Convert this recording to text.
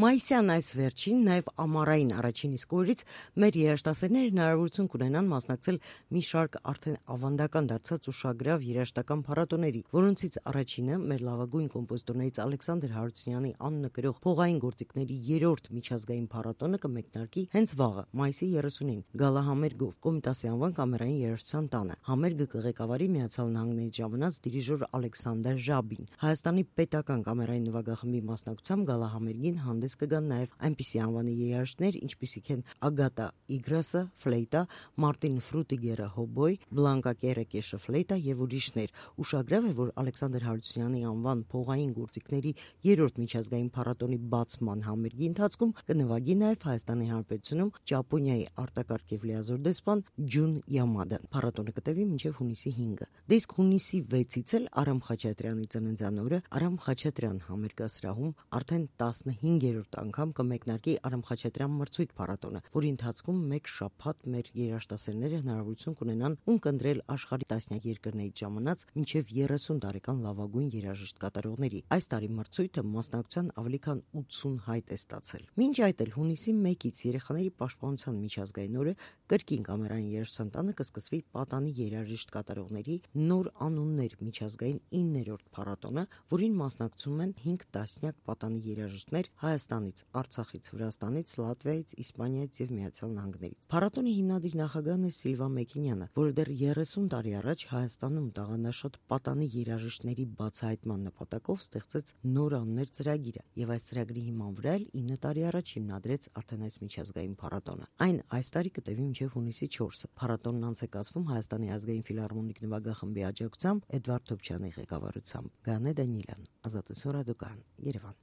Մայիսյան այս վերջին նաև ամառային առաջին իսկ օրերից մեր երաժշտասերները հնարավորություն կունենան մասնակցել մի շարք արդեն ավանդական դարձած ուշագրավ երաժշտական փառատոների, որոնցից առաջինը մեր լավագույն կոմպոզիտորներից Ալեքսանդր Հարությունյանի անունը կրող փողային գործիքների 3-րդ միջազգային փառատոնը կմեկնարկի հենց վաղը, մայիսի 30-ին, գալահամերգով Կոմիտասի անվան կամերային երաժշտության տանը։ Համերգը կղեկավարի Միացյալ Նահանգներից ժամանած դիրիժոր Ալեքսանդր Ժաբին։ Հայաստանի պետական կամերային նվագախմբի մասնակցությամբ գալահամերգին հանդես կգան նաև այնպիսի անվանի երաժիշտներ, ինչպիսիք են Ագատա Իգրասը ֆլեյտա, Մարտին Ֆրուտիգերը հոբոյ, Բլանկա Կերեկեշը ֆլեյտա եւ ուրիշներ։ Ուշագրավ է, որ Ալեքսանդր Հարությունյանի անվան փողային գործիքների 3-րդ միջազգային փառատոնի բացման համերգի ընթացքում կնվագի նաև Հայաստանի Հանրապետությունում Ճապոնիայի արտակարգ եւ լիազոր դեսպան Ջուն Յամադան։ Փառատոնը կտևի մինչև հունիսի 5-ը։ Դիսկ հունիսի 6-ից էլ Արամ Խաչատրյանի ծննդյան օրը Արամ Խաչատրյան համերգասրահում արդեն 15-րդ անգամ կմեկնարկի Արամ Խաչատրյան մրցույթ փառատոնը, որի ընթացքում մեկ շաբաթ մեր երաժշտասերները հնարավորություն կունենան ունկնդրել աշխարհի տասնյակ երկրներից ժամանած մինչև 30 տարեկան լավագույն երաժիշտ կատարողների։ Այս տարի մրցույթը մասնակցության ավելի քան 80 հայտ է ստացել։ Մինչ այդ էլ հունիսի 1-ից երեխաների պաշտպանության միջազգային օրը կրկին կամերային երաժշտության տանը կսկսվի պատանի երաժիշտ կատարողների նոր անուններ միջազգային 9-րդ փառատոնը, որին մասնակցում են 5 տասնյակ պատանի երաժիշտներ Հայաստանից, Արցախից, Վրաստանից, Լատվիայից, Իսպանիայից եւ Միացյալ Նահանգներից։ Փառատոնի հիմնադիր նախագահն է Սիլվա Մեքինյանը, որը դեռ 30 տարի առաջ Հայաստանում տաղանդաշատ պատանի երաժիշտների բացահայտման նպատակով ստեղծեց նոր անուններ ծրագիրը, եւ այս ծրագրի հիման վրա էլ 9 տարի առաջ հիմնադրեց արդեն այս միջազգային փառատոնը։ Այն այս տարի կտևի մինչև հունիսի 4-ը։ Փառատոնն անց է կացվում Հայաստանի ազգային ֆիլհարմոնիկ նվագախմբի աջակցությամբ Էդվարդ Թոփչյանի ղեկավարությամբ։ Գանե Դանիելյան, Ազատություն ռադիոկայան, Երևան։